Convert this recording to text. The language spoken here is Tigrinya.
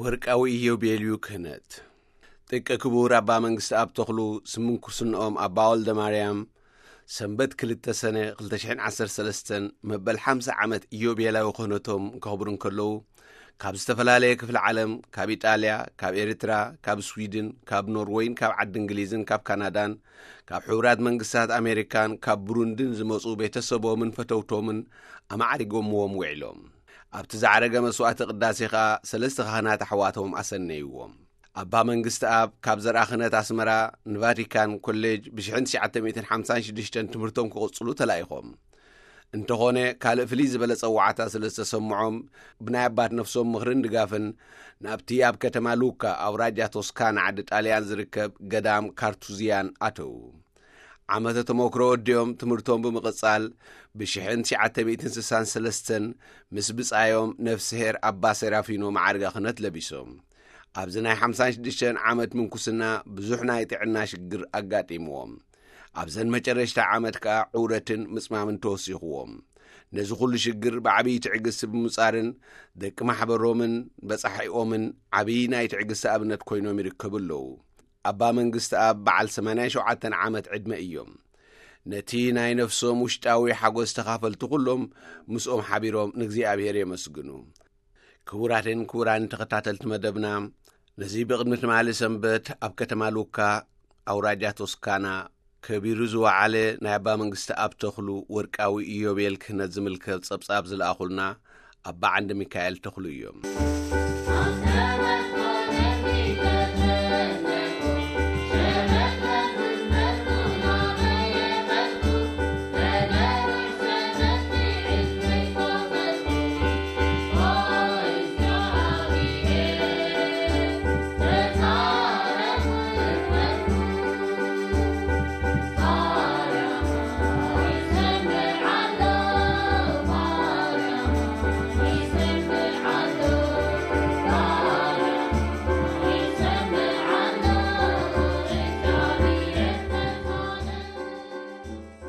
ወርቃዊ ኢዮቤልዩ ክህነት። ጥቀ ክቡር ኣባ መንግስቲ ኣብ ተኽሉ ስምንኩስንኦም ኣባ ወልደ ማርያም ሰንበት ክልተ ሰነ ክልተ ሽሕን ዓሰርተ ሰለስተን መበል ሓምሳ ዓመት ኢዮቤላዊ ክህነቶም ከኽብሩ እንከለዉ፣ ካብ ዝተፈላለየ ክፍሊ ዓለም፣ ካብ ኢጣልያ፣ ካብ ኤርትራ፣ ካብ ስዊድን፣ ካብ ኖርወይን ካብ ዓዲ እንግሊዝን ካብ ካናዳን፣ ካብ ሕቡራት መንግስታት ኣሜሪካን ካብ ብሩንድን ዝመጹ ቤተሰቦምን ፈተውቶምን ኣማዕሪጎምዎም ውዒሎም። ኣብቲ ዝዓረገ መስዋዕቲ ቅዳሴ ኸኣ ሰለስተ ካህናት ኣሕዋቶም ኣሰነይዎም። ኣባ መንግስቲ ኣብ ካብ ዘርኣ ክህነት ኣስመራ ንቫቲካን ኮሌጅ ብ ሽሕን ትሽዓተ ሚእትን ሓምሳን ሽዱሽተን ትምህርቶም ክቕጽሉ ተላኢኾም። እንተኾነ፣ ካልእ ፍልይ ዝበለ ጸዋዕታ ስለ ዝተሰምዖም፣ ብናይ ኣባት ነፍሶም ምኽርን ድጋፍን ናብቲ ኣብ ከተማ ሉካ ኣውራጃ ቶስካና ዓዲ ጣልያን ዝርከብ ገዳም ካርቱዝያን ኣተዉ። ዓመተ ተመክሮ ወዲኦም ትምህርቶም ብምቕጻል፣ ብ ሽሕን ትሽዓተ ሚእትን ስሳን ሰለስተን ምስ ብጻዮም ነፍስሄር ኣባ ሴራፊኖ መዓርገ ክህነት ለቢሶም። ኣብዚ ናይ ሓምሳን ሽዱሽተን ዓመት ምንኩስና ብዙሕ ናይ ጥዕና ሽግር ኣጋጢምዎም። ኣብዘን መጨረሽታ ዓመት ከኣ ዑረትን ምጽማምን ተወሲኽዎም። ነዚ ኩሉ ሽግር ብዓብዪ ትዕግስቲ ብምጻርን ደቂ ማሕበሮምን በጻሒኦምን ዓብዪ ናይ ትዕግስቲ ኣብነት ኮይኖም ይርከቡ ኣለዉ። ኣባ መንግስቲ ኣብ በዓል ሰማንያን ሸውዓተን ዓመት ዕድመ እዮም። ነቲ ናይ ነፍሶም ውሽጣዊ ሓጎስ ተኻፈልቲ ኩሎም ምስኦም ሓቢሮም ንእግዚኣብሔር የመስግኑ። ክቡራትን ክቡራን ተኸታተልቲ መደብና፣ ነዚ ብቕድሚ ትማሊ ሰንበት ኣብ ከተማ ሉካ ኣውራጃ ቶስካና ከቢሩ ዝወዓለ ናይ ኣባ መንግስቲ ኣብ ተኽሉ ወርቃዊ ኢዮቤል ክህነት ዝምልከት ጸብጻብ ዝለኣኹልና ኣባ ዓንደ ሚካኤል ተኽሉ እዮም።